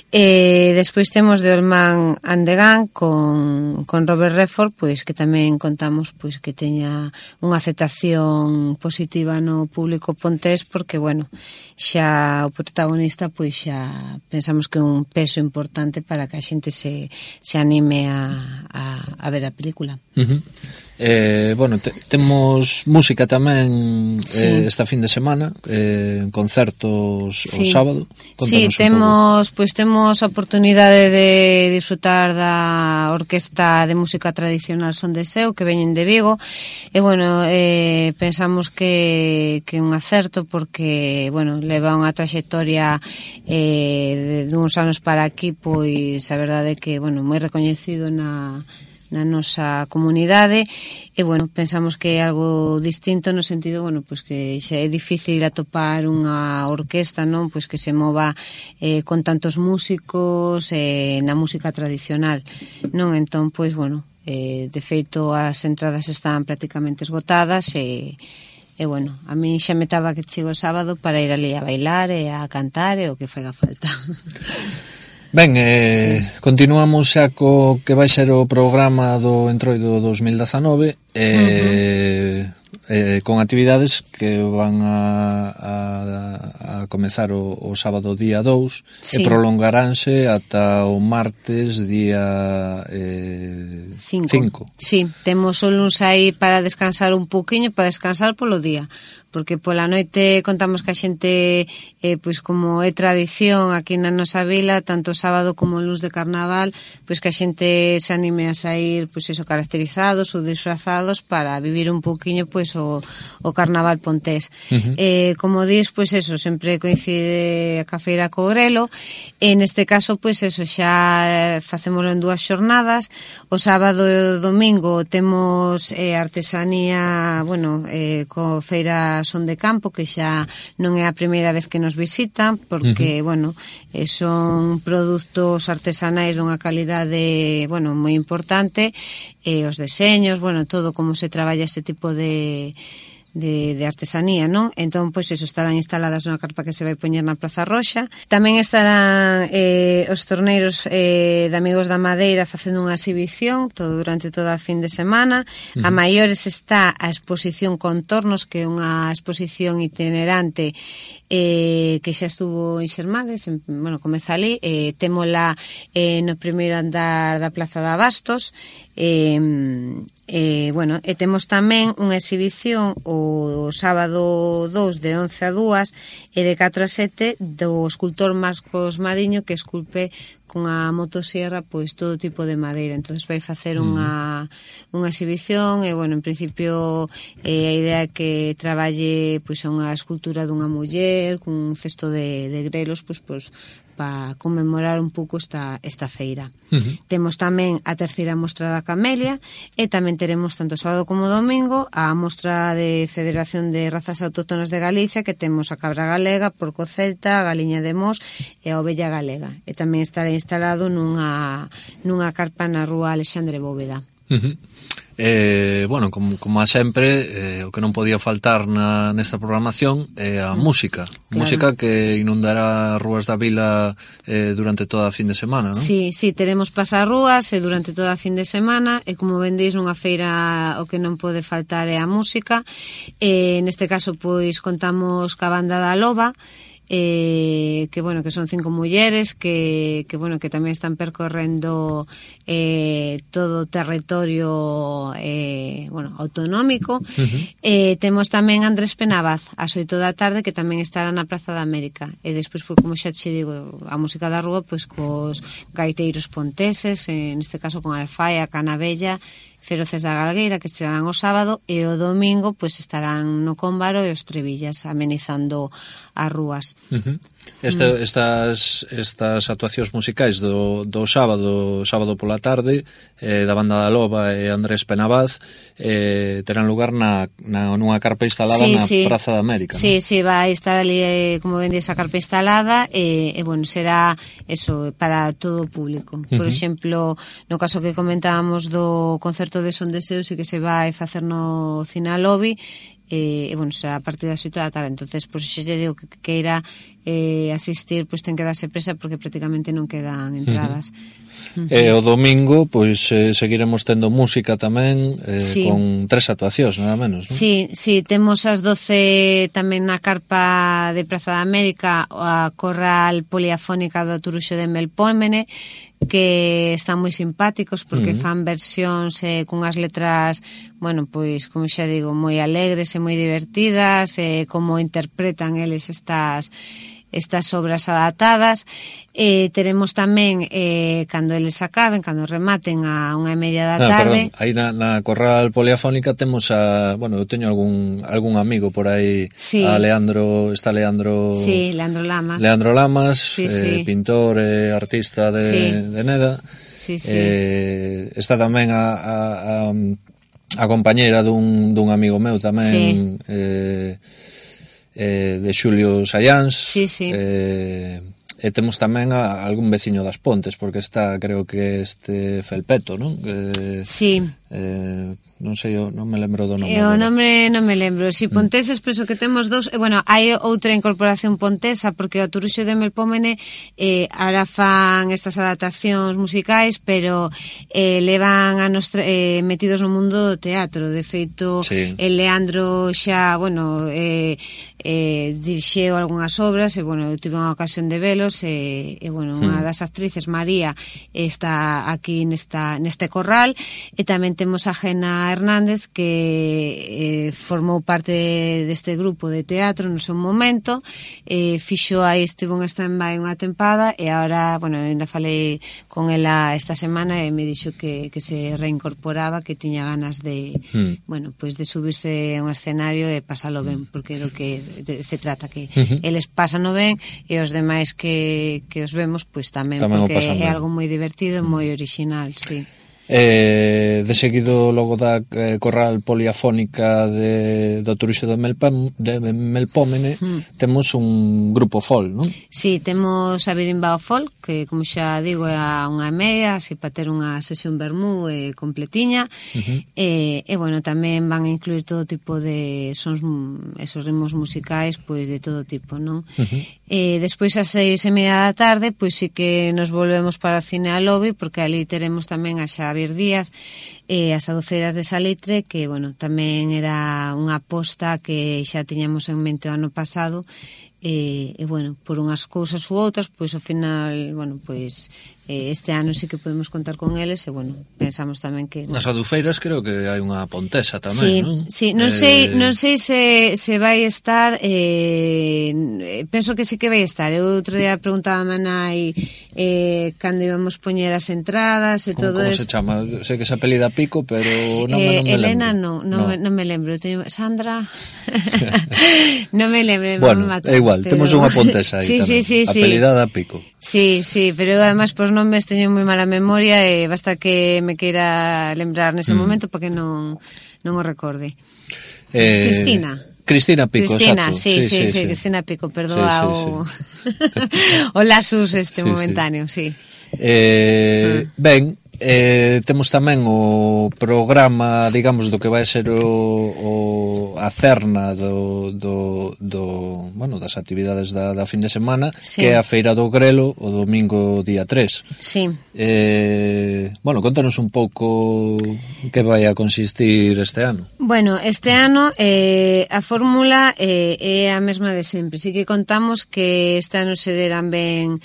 E despois temos The Old Man and the Gun con, con Robert Redford, pois que tamén contamos pois que teña unha aceptación positiva no público pontés, porque bueno, xa o protagonista pois xa pensamos que é un peso importante para que a xente se, se anime a, a, a ver a película. Uh-huh. Eh, bueno, te, temos música tamén sí. eh, esta fin de semana, eh, concertos sí. o sábado. Contanos sí, temos pois temos a oportunidade de disfrutar da Orquesta de Música Tradicional Son de Seu, que veñen de Vigo, e bueno, eh, pensamos que que é un acerto porque, bueno, leva unha traxectoria eh, de, de uns anos para aquí, pois a verdade é que, bueno, moi recoñecido na na nosa comunidade, e bueno, pensamos que é algo distinto no sentido, bueno, pois que xa é difícil atopar unha orquesta, non, pois que se mova eh, con tantos músicos eh, na música tradicional, non? Entón, pois bueno, eh, de feito as entradas están prácticamente esgotadas e E, bueno, a mí xa me taba que chego o sábado para ir ali a bailar e a cantar e o que faiga falta. Ben, eh, sí. continuamos xa co que vai ser o programa do Entroido dos mil dezanove. Eh, uh-huh. eh, con actividades que van a, a, a comezar o, o sábado día dous, sí, e prolongaránse ata o martes día eh, cinco. Sí, temos o luns aí para descansar un pouquiño, para descansar polo día, porque pola noite contamos que a xente, eh, pois como é tradición aquí na nosa vila, tanto o sábado como o luns de carnaval, pois que a xente se anime a sair, pois eso, caracterizados ou disfrazados para vivir un pouquiño pois o, o carnaval pontés. Uh-huh. Eh, como dis, pois eso, sempre coincide a Feira co Grelo, e neste caso, pois eso, xa facémoslo en dúas xornadas. O sábado e o domingo temos eh, artesanía, bueno, eh, co Feira Son de Campo, que xa non é a primeira vez que nos visitan, porque, uh-huh, bueno, eh, son produtos artesanais dunha calidade, bueno, moi importante, e eh, os deseños, bueno, todo como se traballa este tipo de De, de artesanía, non? Entón, pois, eso, estarán instaladas nunha carpa que se vai poñer na Praza Roxa. Tamén estarán eh, os torneiros eh, de Amigos da Madeira facendo unha exhibición todo durante toda a fin de semana. Uh-huh. A maiores está a exposición Contornos, que é unha exposición itinerante eh, que xa estuvo en Xermades, en, bueno, comeza ali, eh, témola eh, no primeiro andar da Plaza de Abastos. Eh, eh, bueno, e temos tamén unha exhibición o sábado dous de once a dúas e de catro a sete do escultor Marcos Mariño, que esculpe con a motosierra pois todo tipo de madeira. Entonces vai facer unha unha exhibición e, bueno, en principio eh, a idea é que traballe pois unha escultura dunha muller cun cesto de, de grelos, pois, pois para conmemorar un pouco esta, esta feira. Uh-huh. Temos tamén a terceira mostra da Camelia e tamén teremos tanto sábado como domingo a mostra de Federación de Razas Autóctonas de Galicia, que temos a cabra galega, porco celta, a galiña de Mos e a ovella galega. E tamén estará instalado nunha, nunha carpa na rúa Alexandre Bóveda. Uh-huh. Eh, bueno, como, como a sempre, eh, o que non podía faltar na, nesta programación é a música. Claro. Música que inundará rúas da vila eh, durante toda a fin de semana, non? Sí, sí, teremos pasarrúas e durante toda a fin de semana, e como ben dís, nunha feira o que non pode faltar é a música. Eh, neste caso, pois, contamos ca banda da Loba, Eh, que bueno, que son cinco mulleres que, que bueno, que tamén están percorrendo eh, todo o territorio eh, bueno, autonómico. Uh-huh. Eh, temos tamén Andrés Penabaz ás oito da tarde, que tamén estará na Praza da América, e despois, pues, como xa che digo, a música da rúa, pois, cos gaiteiros ponteses, eh, neste caso con Alfaia, Canabella, Feroces da Galgueira, que estarán o sábado, e o domingo pois estarán no Cómbaro e os Trevillas amenizando as rúas. Uh-huh. Este, mm. estas, estas actuacións musicais do, do sábado sábado pola tarde, eh, da banda da Loba e Andrés Penabaz, eh, terán lugar na, na, nunha carpa instalada, sí, na sí. Praza da América. Sí, ¿no? sí, vai estar ali, eh, como ven, esa carpa instalada, e, e bueno, será eso para todo o público. Por uh-huh. exemplo, no caso que comentábamos do concerto de Son Deseos, e que se vai facer no Cine Lobby, e, e bueno, será a partir das oito da tarde. Entonces, pois, pues, xe lle digo que queira eh, asistir, pois, pues, ten que darse presa, porque prácticamente non quedan entradas. Uh-huh. Uh-huh. E o domingo, pois, eh, seguiremos tendo música tamén, eh, sí. con tres actuacións, nada menos, non? Sí, sí, temos as doce tamén na carpa de Praza da América a Corral Poliafónica do Turuxo de Melpómene, que están moi simpáticos porque uh-huh. fan versións eh, cunhas letras, bueno, pois, como xa digo, moi alegres e moi divertidas, e eh, como interpretan eles estas estas obras adaptadas. Eh, teremos tamén, eh, cando eles acaben, cando rematen a unha e media da tarde. Ah, aí na, na Corral Poliafónica temos a, bueno, eu teño algún algún amigo por aí, sí. a Leandro, está Leandro... Sí, Leandro Lamas. Leandro Lamas, sí, eh, sí. pintor e eh, artista de, sí. de Neda. Sí, sí. Eh, está tamén a, a, a, a compañeira dun, dun amigo meu tamén, sí. eh, eh, de Xulio Sayáns, sí, sí. Eh, e temos tamén a algún veciño das Pontes, porque está, creo que este Felpeto, non? Eh, sí. Eh, non sei, non me lembro do nome. E o nome non me lembro. Si Ponteses, penso que temos dos. E, bueno, hai outra incorporación pontesa, porque o Turuxo de Melpómene eh, ahora fan estas adaptacións musicais, pero eh, levan anos eh, metidos no mundo do teatro. De feito, sí. El Leandro xa, bueno, eh, eh, dirixeu algunhas obras, e, bueno, eu tive unha ocasión de velos, e, e bueno, unha das actrices, María, está aquí nesta, neste corral, e tamén temos a Gena Hernández, que eh, formou parte deste grupo de teatro no seu momento, eh, fixo aí, estivo en stand-by unha tempada, e agora, bueno, ainda falei con ela esta semana, e me dixo que, que se reincorporaba, que tiña ganas de, mm. bueno, pues de subirse a un escenario e pasalo ben, porque é o que de, se trata, que uh-huh. eles pasano ben, e os demais que, que os vemos, pues tamén, tamén porque é ben. Algo moi divertido e moi original, sí. Eh, de seguido, logo da eh, corral poliafónica de, do Turuxo de, Melpam, de Melpómene, mm. temos un grupo folk, non? Sí, temos a Birimbao Folk, que, como xa digo, é a unha media, así para ter unha sesión vermú eh, completiña, uh-huh. e, e, bueno, tamén van a incluir todo tipo de sons, esos ritmos musicais, pois de todo tipo, non? Uh-huh. E despois, ás seis e media da tarde, pois sí que nos volvemos para o Cine a Lobby, porque ali teremos tamén a Xavier Díaz e as Adofeiras de Salitre, que, bueno, tamén era unha aposta que xa tiñamos en mente o ano pasado, e, e bueno, por unhas cousas ou outras, pois ao final, bueno, pois eh, este ano sí que podemos contar con eles, e bueno, pensamos tamén que... Nas Adufeiras creo que hai unha pontesa tamén, sí, non? Sí, non eh... sei, non sei se, se vai estar, eh, penso que sí que vai estar. Eu outro día preguntaba a nai eh, cando íbamos poñer as entradas e como, todo eso. Como se chama? Sei que se apelida Pico, pero non, eh, me, non me Elena lembro. non, non, no. non me lembro. Teño, Sandra... non me lembro. Bueno, é igual, pero... temos unha pontesa aí sí, tamén, sí, sí, apelidada sí. Pico. Sí, sí, pero además por nomes teño moi mala memoria, e basta que me queira lembrar nese mm. momento para que non, non o recorde. Eh... Cristina. Cristina Pico, Cristina, exacto. sí, sí, sí, sí, sí, Cristina Pico, perdoa sí, sí, o... Sí. o lasus este sí, momentáneo, sí. sí. Eh, ah. Ben, eh, temos tamén o programa, digamos, do que vai ser o, o a cerna do, do, do bueno, das actividades da, da fin de semana, sí. Que é a Feira do Grelo o domingo día tres. Sí. Eh, bueno, contanos un pouco que vai a consistir este ano. Bueno, este ano eh, a fórmula eh, é a mesma de sempre. Sí que contamos que este ano se deran ben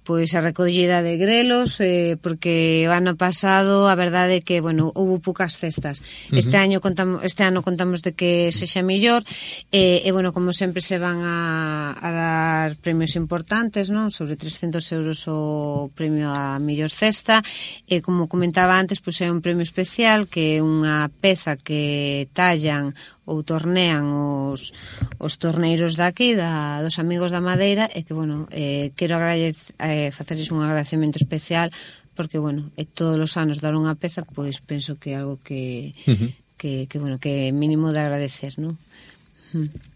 pois a recollida de grelos, eh, porque o ano pasado a verdade é que, bueno, houve poucas cestas. Uh-huh. Este ano contamos este ano contamos de que sexa mellor, e, e bueno, como sempre se van a, a dar premios importantes, non? Sobre trescentos euros o premio a mellor cesta, e como comentaba antes, pois é un premio especial, que é unha peza que tallan ou tornean os, os torneiros daqui, da, dos amigos da Madeira, e que, bueno, eh, quero agradec, eh, facerles un agradecemento especial, porque, bueno, eh, todos os anos dar unha peza, pois penso que é algo que, uh-huh. que, que, bueno, que é mínimo de agradecer, non?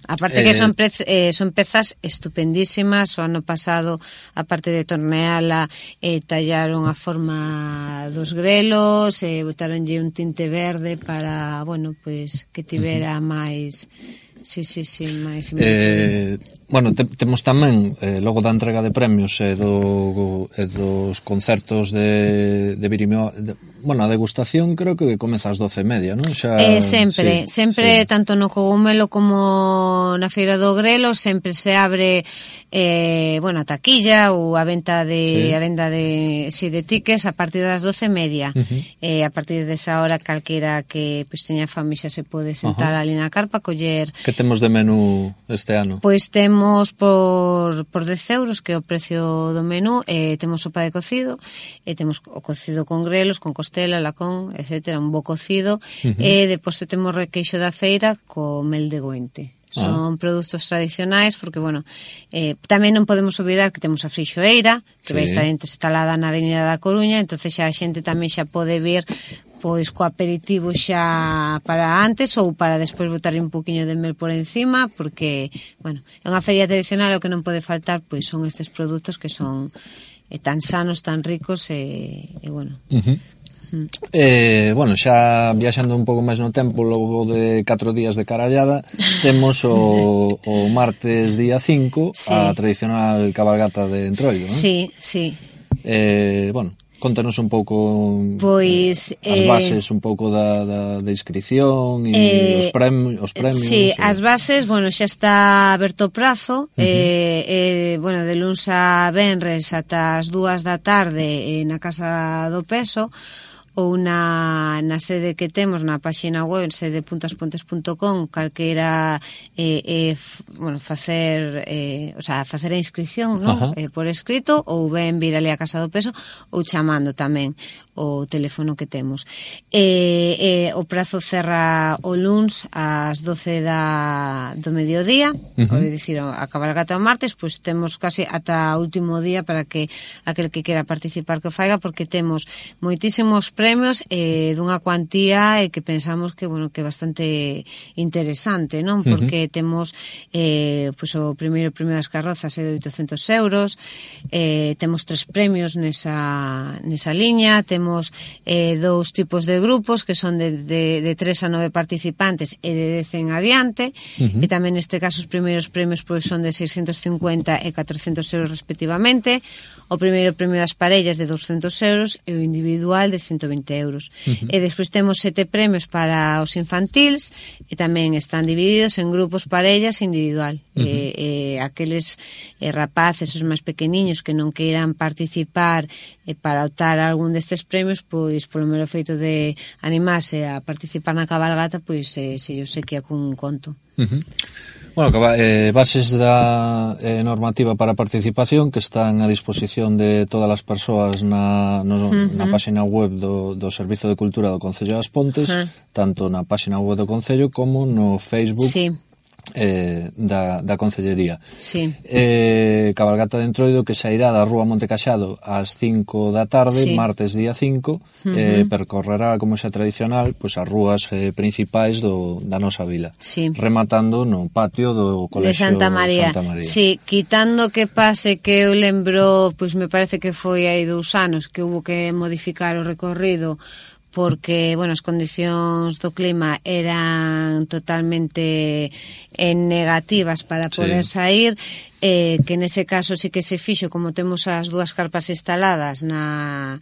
Aparte que son, pre, eh, son pezas estupendísimas. O ano pasado, aparte de torneala, eh, tallaron a forma dos grelos, eh, botaronlle un tinte verde para, bueno, pues que tivera uh-huh. máis... Sí, sí, sí, máis... Eh, bueno, te, temos tamén, eh, logo da entrega de premios e, do, e dos concertos de, de Birimeo, de, bueno, a degustación creo que comeza ás doce e media, non? Xa, eh, sempre, sí, sempre, sí. Tanto no Cogumelo como na Feira do Grelo, sempre se abre, eh, bueno, a taquilla ou a venta de, sí. a venda de, sí, de tickets a partir das doce e media. Uh-huh. Eh, a partir desa hora, calquera que pues, teña fame xa se pode sentar uh-huh. ali na carpa, coller... Que temos de menú este ano? Pois temos por, por dez euros, que é o precio do menú, eh, temos sopa de cocido, e temos o cocido con grelos, con costela, lacón, etcétera, un bo cocido, uh-huh. e depois temos requeixo da feira co mel de goente. Son ah. produtos tradicionais, porque, bueno, eh, tamén non podemos olvidar que temos a frixoeira, que sí. vai estar instalada na Avenida da Coruña, entonces xa a xente tamén xa pode vir pois co aperitivo xa para antes ou para despois botar un poquinho de mel por encima, porque, bueno, é unha feria tradicional, o que non pode faltar pois son estes produtos que son eh, tan sanos, tan ricos e, e bueno. Uh-huh. Eh, bueno, xa viaxando un pouco máis no tempo, logo de catro días de carallada, temos o, o martes día cinco, sí, a tradicional cabalgata de Entroido, non? Sí, sí. Eh, bueno, contanos un pouco pois, eh, as bases un pouco da, da, da inscripción e eh, os, premi, os premios. Sí, e... as bases, bueno, xa está aberto o prazo, uh-huh. eh, eh, bueno, de luns a venres ata as dúas da tarde eh, na Casa do Peso, ou na, na sede que temos na páxina web sede punto as pontes punto com, calquera eh, eh, f, bueno, facer eh, o sea, facer a inscripción, non? Eh, por escrito, ou ben vir ali a Casa do Peso, ou chamando tamén o teléfono que temos. Eh, eh, o prazo cerra o luns ás doce da, do mediodía, uh-huh. é dicir, a cabalgata o martes, pois temos casi ata o último día para que aquel que quera participar que o faiga, porque temos moitísimos premios eh, dunha cuantía e eh, que pensamos que, bueno, que é bastante interesante, non? Porque uh-huh. temos eh, pois o primeiro premio das carrozas é de oitocentos euros, eh, temos tres premios nesa, nesa liña, temos Temos eh, dous tipos de grupos que son de, de, de tres a nove participantes e de dez en adiante, uh-huh. e tamén neste caso os primeiros premios pois, son de seiscentos cincuenta e catrocentos euros respectivamente, o primeiro premio das parellas de douscentos euros e o individual de ciento vinte euros. Uh-huh. E despois temos sete premios para os infantils e tamén están divididos en grupos, parellas e individual. Uh-huh. E, e aqueles eh, rapaces, os máis pequeniños que non queiran participar eh, para optar a algún destes premios, pois polo mero feito de animarse a participar na cabalgata, pois eh, se yo sei que é cun conto. Uh-huh. Bueno, eh, bases da eh, normativa para a participación que están a disposición de todas as persoas na, no, uh-huh. na página web do, do Servizo de Cultura do Concello das Pontes, uh-huh. tanto na página web do Concello como no Facebook. Sí. Eh, da, da Concellería. Sí. Eh, cabalgata de Entroido que sairá da Rúa Montecaxado ás cinco da tarde, sí. martes día cinco, uh-huh. eh, percorrerá, como xa tradicional, pois as rúas eh, principais do, da nosa vila, sí. rematando no patio do Colexio de Santa María. Santa María. Sí, quitando que pase que eu lembro, pois me parece que foi hai dous anos que hubo que modificar o recorrido porque, bueno, as condicións do clima eran totalmente eh, negativas para poder sí. sair, eh, que nese caso sí que se fixo, como temos as dúas carpas instaladas na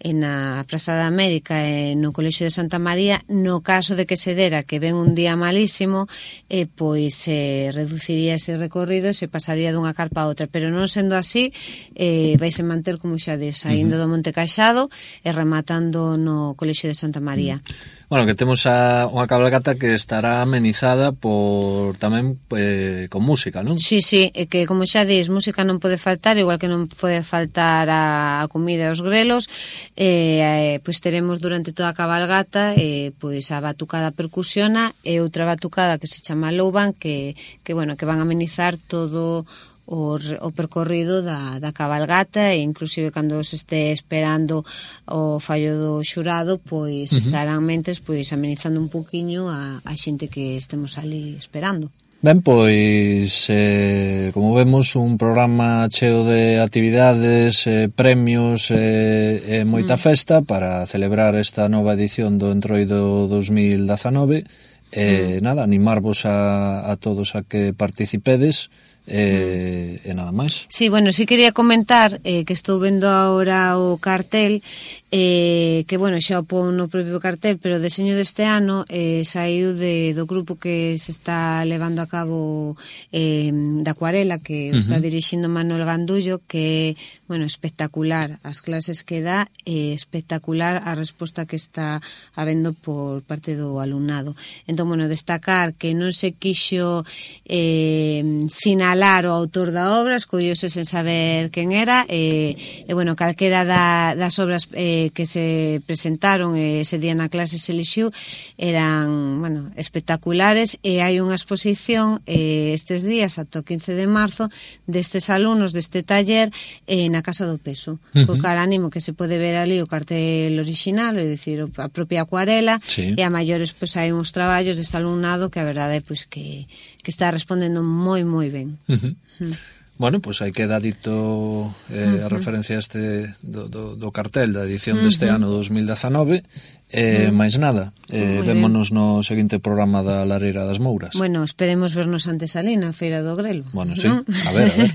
en a Praza da América e no Colexio de Santa María, no caso de que se dera que ven un día malísimo, eh, pois se eh, reduciría ese recorrido e se pasaría dunha carpa a outra, pero non sendo así, eh, vais a manter, como xa de, saindo do Monte Caxado e rematando no Colexio de Santa María. Bueno, que temos a, unha cabalgata que estará amenizada por tamén eh, con música, non? Sí, sí, e que como xa dis, música non pode faltar, igual que non pode faltar a, a comida e os grelos, eh, pois teremos durante toda a cabalgata eh, pois a batucada percusiona e outra batucada que se chama Louban, que, que, bueno, que van a amenizar todo o, o percorrido da, da cabalgata, e inclusive cando se este esperando o fallo do xurado, pois uh-huh. estarán mentes pois amenizando un poquinho a, a xente que estemos ali esperando. Ben, pois, eh, como vemos, un programa cheo de actividades, eh, premios e eh, eh, moita mm. festa para celebrar esta nova edición do Entroido dos mil dezanove. Eh, mm. Nada, animarvos a, a todos a que participedes. Eh, mm. E nada máis. Sí, bueno, sí quería comentar eh, que estou vendo agora o cartel, eh, que, bueno, xa o pon no propio cartel, pero o deseño deste ano eh, saiu de, do grupo que se está levando a cabo eh, da Acuarela, que uh-huh. está dirixindo Manuel Gandullo, que é, bueno, espectacular as clases que dá, e espectacular a resposta que está habendo por parte do alumnado. Entón, bueno, destacar que non se quixo eh, sinalar o autor da obra, escollose sen saber quen era, e, e bueno, calquera da, das obras eh, que se presentaron ese día na clase se elixiu eran, bueno, espectaculares, e hai unha exposición eh, estes días ata o quince de marzo destes alumnos deste taller eh, na Casa do Peso. Uh-huh. Co cal ánimo que se pode ver ali o cartel original, é dicir, a propia acuarela, sí. e a maiores pois hai uns traballos deste alumnado que a verdade é pois que, que está respondendo moi moi ben. Uh-huh. Uh-huh. Bueno, pois pues aí queda dito eh, uh-huh. a referencia este do, do, do cartel da edición uh-huh. deste ano dos mil dezanove. Eh, uh-huh. máis nada, eh, vémonos no seguinte programa da Lareira das Mouras. Bueno, esperemos vernos antes ali na Feira do Grelo. Bueno, sí, ¿no? a ver, a ver.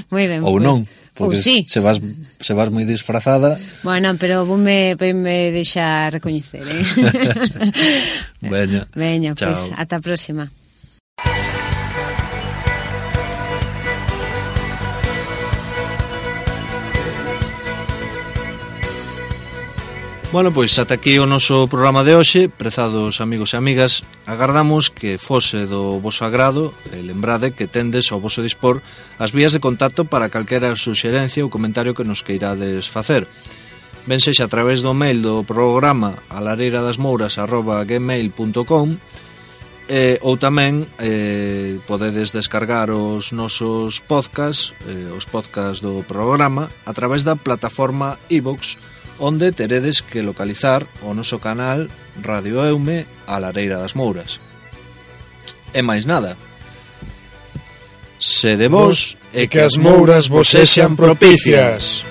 Moi ben. Ou pues. non, porque sí. se vas se vas moi disfrazada. Bueno, pero vou me, me deixar recoñecer, eh? Veña, Veña, pois, pues, ata a próxima. Bueno, pois ata aquí o noso programa de hoxe. Prezados amigos e amigas, agardamos que fose do voso agrado e lembrade que tendes ao voso dispor as vías de contacto para calquera suxerencia ou comentario que nos queirades facer. Ben sexa a través do mail do programa alareiradasmouras arroba gmail punto com eh, ou tamén eh, podedes descargar os nosos podcast, eh, os podcast do programa a través da plataforma iVoox, onde teredes que localizar o noso canal Radio Eume a Lareira das Mouras. E máis nada. Sede vos e que as mouras vos sexan propicias.